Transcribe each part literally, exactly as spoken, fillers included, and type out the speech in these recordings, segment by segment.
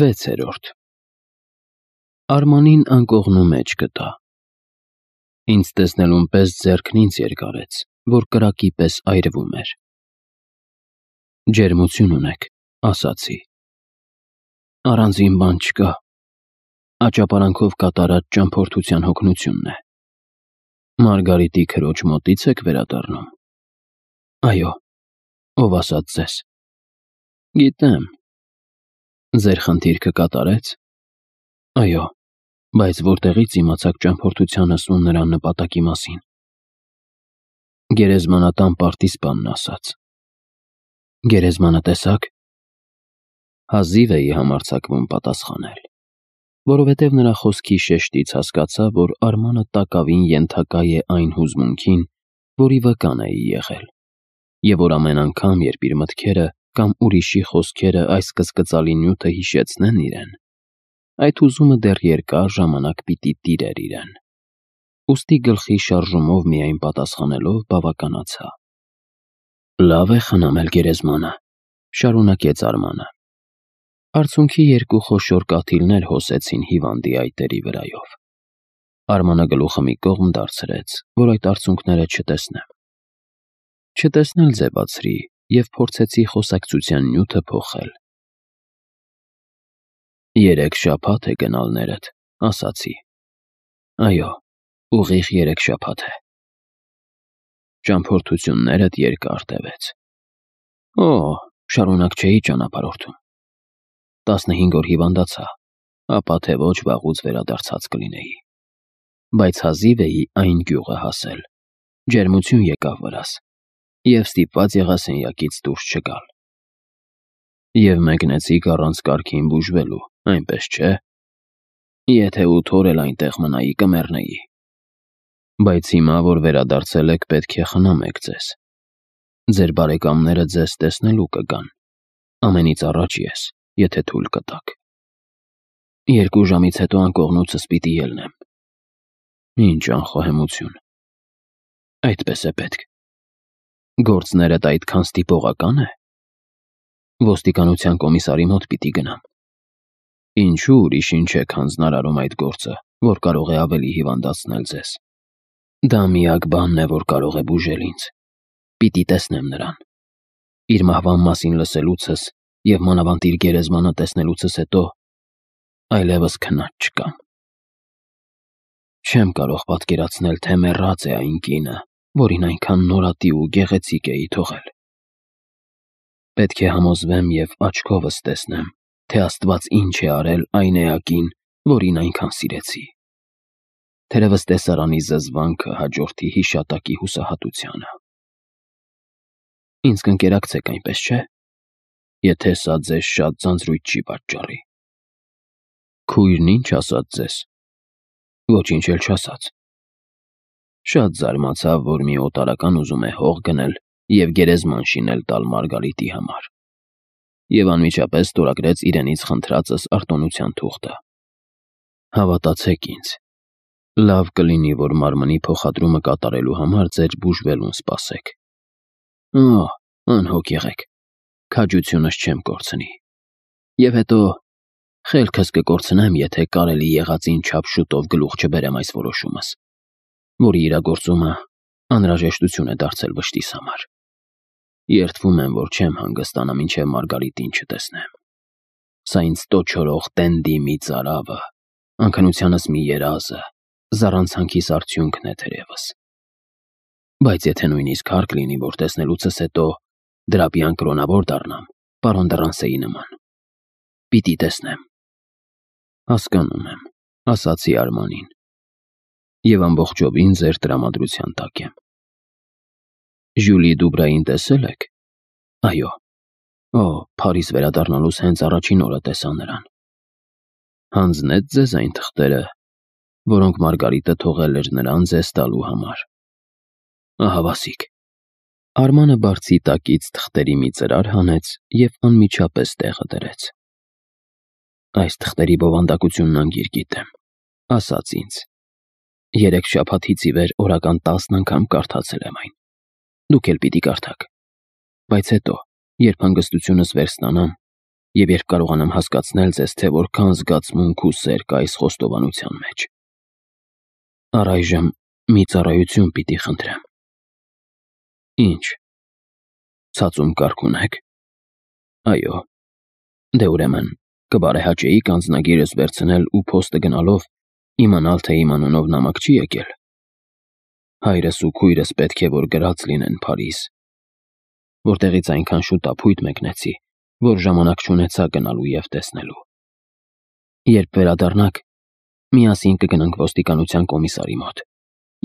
Վեցերորդ Արմանին անկողնու մեջ գտա։ Ինձ տեսնելուն պես ձեռքն ինձ երկարեց, որ կրակի պես այրվում էր։ Ջերմություն ունեք, ասացի։ Առանձին բան չկա, աճապարանքով կատարած ճամփորդության հոգնությունն է։ Մարգարիտի քրոջ մոտից եք վերադառնում։ Այո, ով ասաց ձեզ։ Գիտեմ։ Ձեր խնդիրքը կատարեց։ Այո, բայց որտեղից իմացաք ճամփորդությանս ու նրա նպատակի մասին։ Գերեզմանատան պարտիզպանն ասաց։ Գերեզմանը տեսաք։ Հազիվ էի համարձակվում պատասխանել, որովհետև նրա խոսքի շեշտից հասկացա, որ Արմանը տակավին ենթակա է այն հուզմունքին, որի վկան էի եղել, և որ ամեն անգամ, երբ իր մտքերը կամ ուրիշի խոսքերը այս կծկծալի նյութը հիշեցնեն իրեն, այդ հուզումը դեռ երկար ժամանակ պիտի տիրեր իրեն։ Ուստի գլխի շարժումով միայն պատասխանելով բավականացա։ Լավ է խնամել գերեզմանը, շարունակեց Արմանը։ Արցունքի երկու խոշոր կաթիլներ հոսեցին հիվանդի այտերի վրայով։ Արմանը գլուխը մի կողմ դարձրեց, որ այդ արցունքները չտեսնեմ։ Չտեսնել ձևացրի և փորձեցի խոսակցության նյութը փոխել։ Երեք շաբաթ է գնալներդ, ասացի։ Այո, ուղիղ երեք շաբաթ է։ Ճամփորդություններդ երկար տևեց։ Օ, շարունակ չէի ճանապարհորդում։ Տասնհինգ օր հիվանդացա, ապա թե ոչ վաղուց վերադարձած կլինեի։ Բայց հազիվ էի այն գյուղը հասել, ջերմություն եկավ վրաս, և ստիպված եղա սենյակից դուրս չգալ։ Եվ մեկնեցիք առանց կարգին բուժվելու, այնպես չէ։ Եթե ութ օր էլ այնտեղ մնայի, կմեռնեի։ Բայց հիմա, որ վերադարձել եք, պետք է խնամեք ձեզ։ Ձեր բարեկամները ձեզ տեսնելու կգան։ Ամենից առաջ ես, եթե թույլ կտաք։ Երկու ժամից հետո անկողնուցս պիտի ելնեմ։ Ինչ անխոհեմություն։ Այդպես է պետք։ Գործներդ այդքան ստիպողակա՞ն է։ Ոստիկանության կոմիսարի մոտ պիտի գնամ։ Ինչու ուրիշին չեք հանձնարարում այդ գործը, որ կարող է ավելի հիվանդացնել ձեզ։ Դա միակ բանն է, որ կարող է բուժել ինձ։ Պիտի տեսնեմ նրան։ Իր մահվան մասին լսելուցս և մանավանդ իր գերեզմանը տեսնելուցս հետո այլևս քնած չկամ։ Չեմ կարող պատկերացնել, թե մեռած է այն կինը, որին այնքան նորատի ու գեղեցիկ էի թողել։ Պետք է համոզվեմ և աչքովս տեսնեմ, թե Աստված ինչ է արել այն էակին, որին այնքան սիրեցի։ Թերևս տեսարանի զզվանքը հաջորդի հիշատակի հուսահատությանը։ Ինձ կընկերակցեք, այնպես չէ՞, եթե սա ձեզ շատ ձանձրույթ չի պատճառի։ Քույրն ինչ ասաց ձեզ։ Ոչինչ էլ չասաց։ Շատ զարմացավ, որ մի օտարական ուզում է հող գնել և գերեզման շինել տալ Մարգարիտի համար, և անմիջապես ստորագրեց իրենից խնդրածս արտոնության թուղթը։ Հավատացեք ինձ, լավ կլինի, որ մարմնի փոխադրումը կատարելու համար ձեր բուժվելուն սպասեք։ Օ, անհոգ եղեք, քաջությունս չեմ կորցնի։ Եվ հետո խելքս կկորցնեմ, եթե կարելի եղածին չափ շուտով գլուխ չբերեմ այս որոշումս, որի իրագործումը անհրաժեշտություն է դարձել վշտիս համար։ Երդվում եմ, որ չեմ հանգստանա, մինչև Մարգարիտին չտեսնեմ։ Սա ինձ տոչորող տենդի մի ծարավը, անքնությանս մի երազը, զառանցանքիս արդյունքն է թերևս։ Բայց եթե նույնիսկ հարկ լինի, որ տեսնելուցս հետո դրապյան կրոնավոր դառնամ, պարոն Դռանսեի նման։ Պիտի տեսնեմ։ Հասկանում եմ, ասացի Արմանին, և ամբողջովին ձեր տրամադրության տակ եմ։ Ժյուլի Դուբրային տեսել եք։ Այո։ Օ, Փարիզ վերադառնալուց հենց առաջին օրը տեսա նրան։ Հանձնեց ձեզ այն թղթերը, որոնք Մարգարիտը թողել էր նրան ձեզ տալու համար։ Ահավասիկ։ Արմանը բարձի տակից թղթերի մի ծրար հանեց և անմիջապես տեղը դրեց։ Այս թղթերի բովանդակությունն անգիր գիտեմ, ասաց ինձ։ Երեք շաբաթից ի վեր օրական տասն անգամ կարդացել եմ այն։ Դուք էլ պիտի կարդաք։ Բայց հետո, երբ հանգստությունս վերստանամ, եւ երբ կարողանամ հասկացնել ձեզ, թե որքան զգացմունք ու սեր կա այս խոստովանության մեջ։ Առայժմ մի ծառայություն պիտի խնդրեմ։ Ինչ։ Ցածում կարգ ունեք։ Այո։ Դե ուրեմն կբարեհաճեիք անձնագիրս վերցնել ու փոստը գնալով իմանալ, թե իմ անունով նամակ չի եկել։ Հայրս ու քույրս պետք է որ գրած լինեն Փարիզ, որտեղից այնքան շուտ ապույտ մեկնեցի, որ ժամանակ չունեցա գնալու եւ տեսնելու։ Երբ վերադառնաք, միասին կգնանք ոստիկանության կոմիսարի մոտ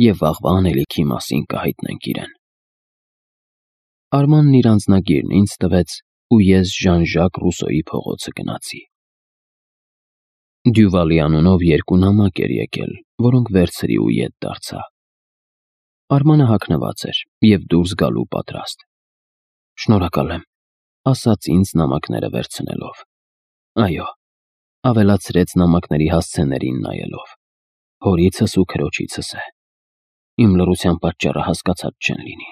եւ վաղվա անելիքի մասին կհայտնենք իրեն։ Արմանն իր անձնագիրն ինձ տվեց ու ես Ժան-Ժակ Ռուսոյի փողոցը գնացի։ Դյուվալի անունով երկու նամակ էր եկել, որոնք վերցրի ու ետ դարձա։ Արմանը հագնված էր եւ դուրս գալու պատրաստ։ Շնորհակալ եմ, ասաց ինձ նամակները վերցնելով։ Այո, ավելացրեց նամակների հասցեներին նայելով։ Հորիցս ու քրոջիցս է։ Իմ լռության պատճառը հասկացած չեն լինի։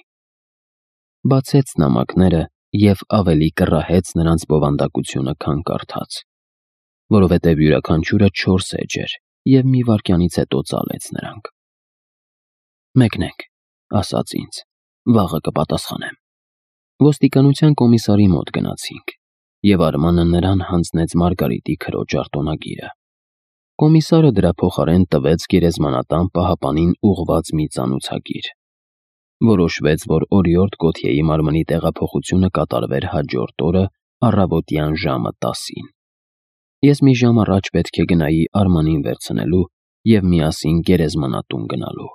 Բացեց նամակները եւ ավելի կռահեց նրանց բովանդակությունը, քան կարդաց, որովհետեւ յուրաքանչյուրը չորս էջ էր եւ մի վայրկյանից հետո ծալեց նրանք։ Մեկնենք, ասաց ինձ, վաղը կպատասխանեմ։ Ոստիկանության կոմիսարի մոտ գնացինք, եւ Արմանը նրան հանձնեց Մարգարիտի քրոջ արտոնագիրը։ Կոմիսարը դրա փոխարեն տվեց գերեզմանատան պահապանին ուղղված մի ծանուցագիր։ Որոշվեց, որ օրիորդ Գոթյեի մարմնի տեղափոխությունը կատարվեր հաջորդ օրը առավոտյան ժամը տասին։ Ես մի ժամ առաջ պետք է գնայի Արմանին վերցնելու եւ միասին գերեզմանատուն գնալու։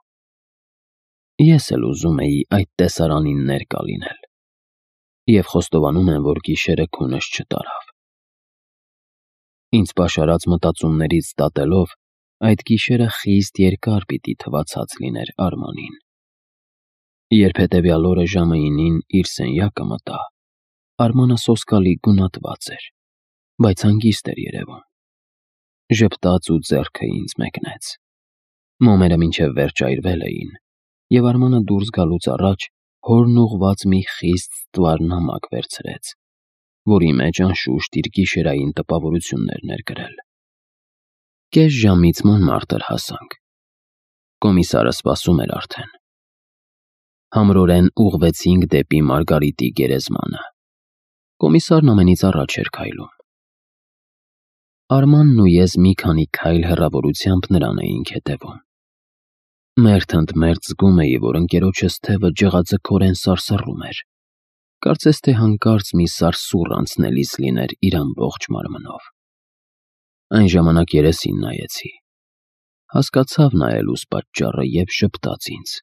Ես էլ ուզում էի այդ տեսարանին ներկա լինել։ Եվ խոստովանում եմ, որ գիշերը քունս չտարավ։ Ինձ պաշարած մտածումներից դատելով, այդ գիշերը խիստ երկար պիտի թվացած լիներ Արմանին։ Երբ հետևյալ օրը ժամը ինին իր սենյակը մտա, Արմանը սոսկալի գունատված էր, բայց հանգիստ էր երևում։ Ժպտաց ու ձեռքը ինձ մեկնեց։ Մոմերը մինչև վերջ այրվել էին, եւ Արմանը դուրս գալուց առաջ հորն ուղված մի խիստ ստվար նամակ վերցրեց, որի մեջ անշուշտ իր գիշերային տպավորություններն էր գրել։ Կես ժամից Մոնմարտր հասանք։ Կոմիսարը սպասում էր արդեն։ Համրորեն ուղղվեցինք դեպի Մարգարիտի գերեզմանը։ Կոմիսարն ամենից առաջ էր քայլում։ Արմանն ու ես մի քանի քայլ հեռավորությամբ նրան էինք հետևում։ Մերթ ընդ մերթ զգում էի, որ ընկերոջս թևը ջղաձգորեն սարսռում էր։ Կարծես թե հանկարծ մի սարսուռ անցնելիս լիներ իր ամբողջ մարմնով։ Այն ժամանակ երեսին նայեցի։ Հասկացավ նայելուս պատճառը եւ շպտաց ինձ։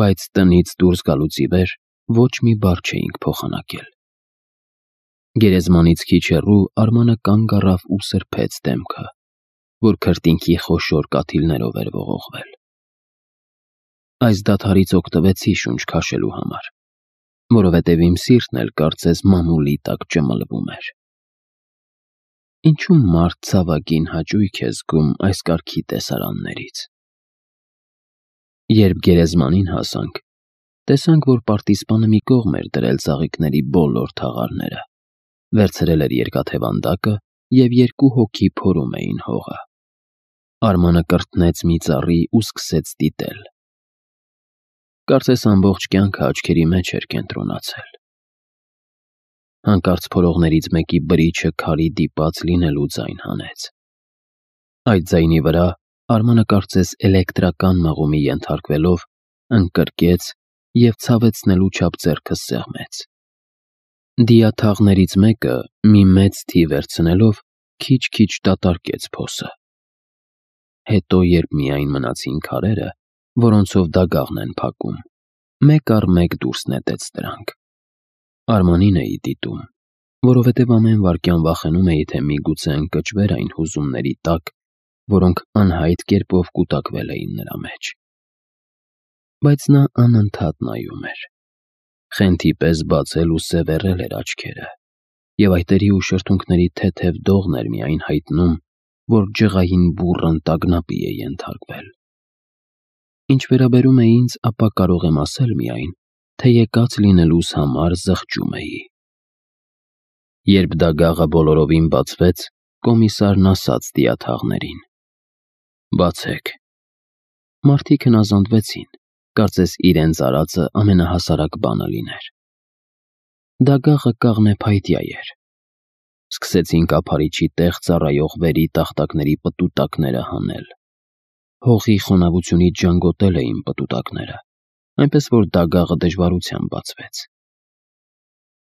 Բայց տնից դուրս գալուց ի վեր ոչ մի բառ չէինք փոխանակել։ Գերեզմանից քիչ հեռու Արմանը կանգ առավ ու սրբեց դեմքը, որ քրտինքի խոշոր կաթիլներով էր ողողվել։ Այս դադարից օգտվեցի շունչ քաշելու համար, որովհետև իմ սիրտն էլ կարծես մամուլի տակ ճմլվում էր։ Ինչու մարդ ցավագին հաճույք է զգում այս կարգի տեսարաններից։ Երբ գերեզմանին հասանք, տեսանք, որ պարտիզպանը մի կողմ էր դրել ծաղիկների բոլոր թաղարները, վերցրել էր երկաթե վանդակը եւ երկու հոգի փորում էին հողը։ Արմանը կրտնեց մի ծառի ու սկսեց դիտել։ Կարծես ամբողջ կյանքը աչքերի մեջ էր կենտրոնացել։ Հանկարծ փորողներից մեկի բրիչը քարի դիպած լինելու ձայն հանեց։ Այդ ձայնի վրա Արմանը կարծես էլեկտրական մղումի ենթարկվելով ընկրկեց եւ ցավեցնելու չափ ձեռքը սեղմեց։ Դիաթաղներից մեկը մի մեծ թի վերցնելով քիչ-քիչ դատարկեց փոսը։ Հետո, երբ միայն մնացին քարերը, որոնցով դագաղն են փակում, մեկ առ մեկ դուրս նետեց դրանք։ Արմանին էի դիտում, որովհետև ամեն վայրկյան վախենում էի, թե միգուցե ընկճվեր այն հուզումների տակ, որոնք անհայտ կերպով կուտակվել էին նրա մեջ։ Բայց նա անընդհատ նայում էր։ Խենթի պես բացել ու սևեռել էր աչքերը, եւ այտերի ու շրթունքների թեթև դողն էր միայն հայտնում, որ ջղային բուռն տագնապի է ենթարկվել։ Ինչ վերաբերում է ինձ, ապա կարող եմ ասել միայն, թե եկած լինելուս համար զղջում էի։ Երբ դագաղը բոլորովին բացվեց, կոմիսարն ասաց դիաթաղներին. «Բացեք»։ Մարդիկ հնազանդվեցին, կարծես իրենց արածը ամենահասարակ բանը լիներ։ Դագաղը կաղնեփայտյա էր։ Սկսեցին կափարիչի տեղ ծառայող վերի տախտակների պտուտակները հանել։ Հողի խոնավությունից ժանգոտել էին պտուտակները, այնպես որ դագաղը դժվարությամբ բացվեց։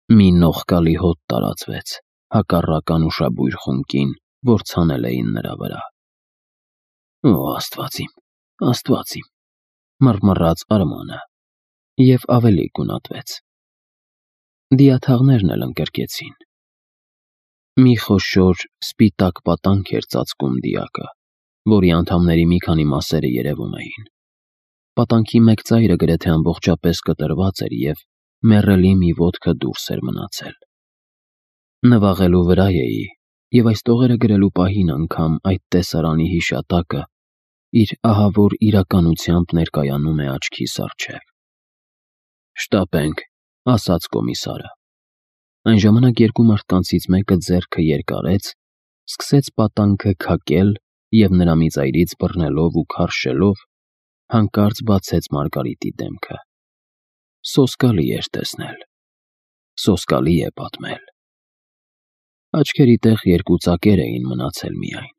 Մի նողկալի հոտ տարածվեց հակառակ անուշաբույր խունկին, որ ցանել էին նրա վրա։ «Օ, Աստված իմ, Աստված իմ», մռմռաց Արմանը և ավելի գունատվեց։ Դիաթաղներն էլ ընկրկեցին։ Մի խոշոր սպիտակ պատանք էր ծածկում դիակը, որի անդամների մի քանի մասերը երևում էին։ Պատանքի մեկ ծայրը գրեթե ամբողջապես կտրված էր և մեռելի մի ոտքը դուրս էր մնացել։ Նվաղելու վրա էի, և այս տողերը գրելու պահին անգամ այդ տեսարանի հիշատակը իր ահավոր իրականությամբ ներկայանում է աչքիս առջև։ «Շտապենք», ասաց կոմիսարը։ Այն ժամանակ երկու մարդկանցից մեկը ձեռքը երկարեց, սկսեց պատանքը քակել և նրա մի ծայրից բռնելով ու քարշելով, հանկարծ բացեց Մարգարիտի դեմքը։ Սոսկալի էր տեսնել, սոսկալի է պատմել։ Աչքերի տեղ երկու ծակեր էին մնացել միայն,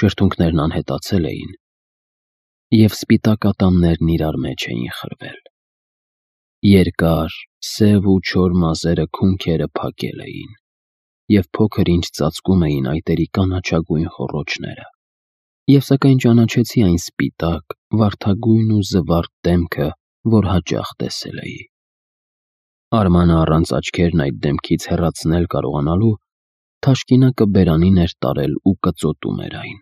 շրթունքներն անհետացել էին, և սպիտակ ատամներն իրար մեջ էին խրվել։ Երկար, սև ու չոր մազերը քունքերը փակել էին, և փոքր-ինչ ծածկում էին այտերի կանաչագույն խոռոչները, և սակայն ճանաչեցի այն սպիտակ, վարդագույն ու զվարթ դեմքը, որ հաճախ տեսել էի։ Արմանը առանց աչքերն այդ դեմքից հեռացնել կարողանալու, թաշկինակը բերանին էր տարել ու կծոտում էր այն։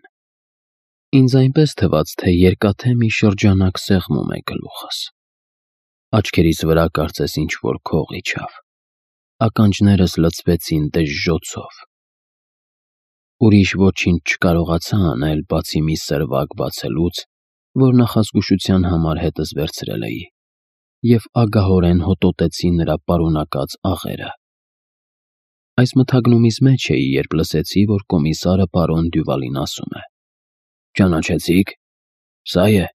Ինձ այնպես թվաց, թե երկաթե մի շրջանակ սեղմում է գլուխս։ Աչքերիս վրա կարծես ինչ-որ քող իջավ։ Ականջներս լցվեցին դժժոցով։ Ուրիշ ոչինչ չկարողացա անել, բացի մի սրվակ բացելուց, որ նախազգուշության համար հետս վերցրել էի, և ագահորեն հոտոտեցի նրա պարունակած աղերը։ Այս մթագնումից մեջ էի, երբ լսեցի, որ կոմիսարը պարոն Դյուվալին ասում է. «Ճանաչեցի՞ք, սա է»։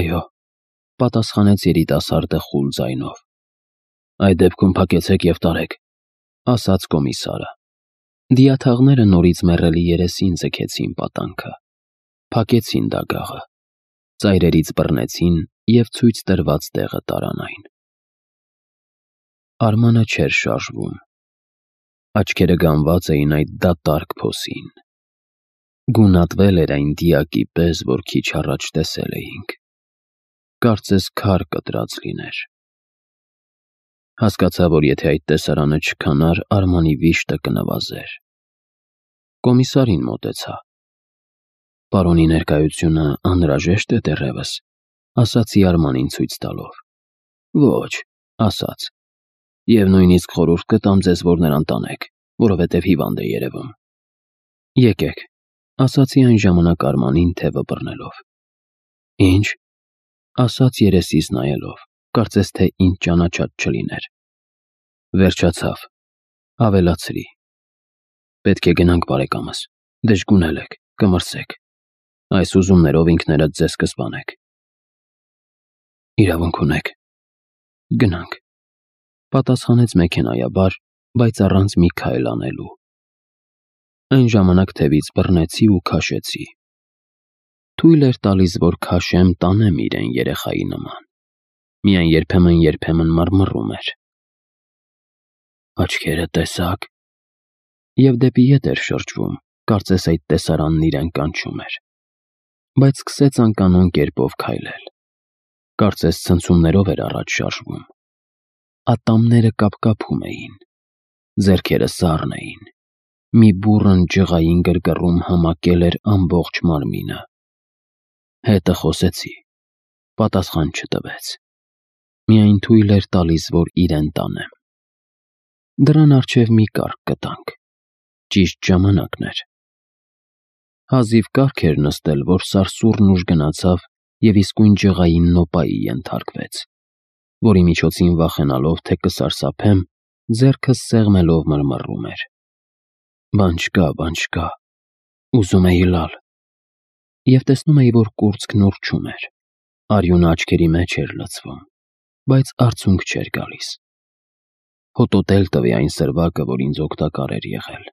«Այո», պատասխանեց երիտասարդը խուլ ձայնով։ «Այդ դեպքում փակեցեք և տարեք», ասաց կոմիսարը։ Դիաթաղները նորից մեռելի երեսին ձգեցին պատանքը, փակեցին դագաղը, ծայրերից բռնեցին և ցույց տրված տեղը տարան այն։ Արմանը չէր շարժվում։ Աչքերը գանված էին այդ դատարկ փոսին։ Գունատվել էր այն դիակի պես, որ քիչ առաջ տեսել էինք։ Կարծես քար կտրած լիներ։ Հասկացա, որ եթե այդ տեսարանը չքանար, Արմանի վիշտը կնվազեր։ Կոմիսարին մոտեցա։ «Պարոնի ներկայությունը անհրաժեշտ է դեռևս», ասացի Արմանին ցույց տալով։ «Ոչ», ասաց, «և նույնիսկ խորհուրդ կտամ ձեզ, որ նրան տանեք, որովհետև հիվանդ է երևում»։ «Եկեք», ասացի այն ժամանակ Արմանին թևը բռնելով։ «Ինչ», ասաց երեսիս նայելով, կարծես թե ինձ ճանաչած չլիներ։ «Վերջացավ», ավելացրի։ «Պետք է գնանք, բարեկամս, դժգունել եք, կմրսեք։ Այս ուզումներով ինքներդ ձեզ կսպանեք»։ «Իրավունք ունեք, գնանք», պատասխանեց մեքենայաբար, բայց առանց մի քայլ անելու։ Այն ժամանակ թևից բռնեցի ու քաշեցի։ Թույլ էր տալիս, որ քաշեմ, տանեմ իրեն երեխայի նման, միայն երբեմն-երբեմն մռմռում էր։ «Աչքերը տեսա՞ք», և դեպի ետ էր շրջվում, կարծես այդ տեսարանն իրեն կանչում էր, բայց սկսեց անկանոն կերպով քայլել։ Կարծես ցնցումներով էր առաջ շարժվում։ Ատամները կապկապում էին, ձեռքերը սառն էին, մի բուռն ջղային գրգռում համակել էր ամբողջ մարմինը։ Հետը խոսեցի, պատասխան չտվեց, միայն թույլ էր տալիս, որ իրեն տանեմ։ Դռան առջև մի կառք գտանք, ճիշտ ժամանակն էր։ Հազիվ կառք էր նստել, որ սարսուռն ուժ գնացավ և իսկույն ջղային նոպայի ենթարկվեց, որի միջոցին վախենալով, թե կսարսափեմ, ձեռքս սեղմելով մռմռում էր. «Բան չկա, բան չկա», ուզում էի լալ, և տեսնում էի, որ կուրծքն ուռչում էր, արյունը աչքերի մեջ էր լցվում, բայց արցունք չէր գալիս։ Հոտոտել տվի այն սրվակը, որ ինձ օգտակար էր եղել,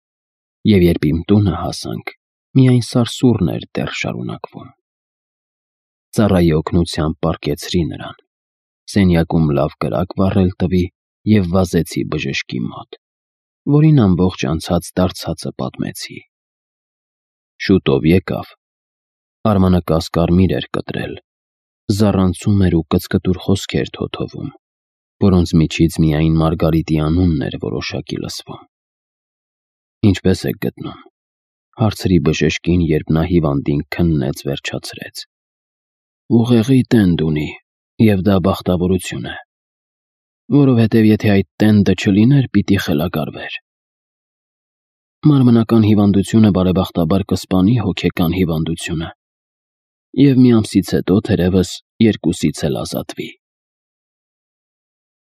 և երբ իմ տունը հասանք, միայն սարսուռն էր դեռ շարունակվում։ Ծառայի օգնությամբ պառկեցրի նրան, սենյակում լավ կրակ վառել տվի և վազեցի բժշկի մոտ, որին ամբողջ անցած դարձածը պատմեցի։ Շուտով եկավ, Արմանը կասկարմիր էր կտրել, զառանցում էր ու կծկտուր խոսքեր թոթովում, որոնց միջից միայն Մարգարիտի անունն էր որոշակի լսվում։ «Ինչպե՞ս եք գտնում», հարցրի բժշկին, երբ նա հիվանդին քննեց վերջացրեց։ «Ուղեղի տենդ ունի, և դա բախտավորություն է, որովհետև եթե այդ տենդը չլիներ, պիտի խելագարվեր։ Մարմնական հիվանդությունը բարեբախտաբար կսպանի հոգեկան հիվանդությունը, և մի ամսից հետո թերևս երկուսից էլ ազատվի»։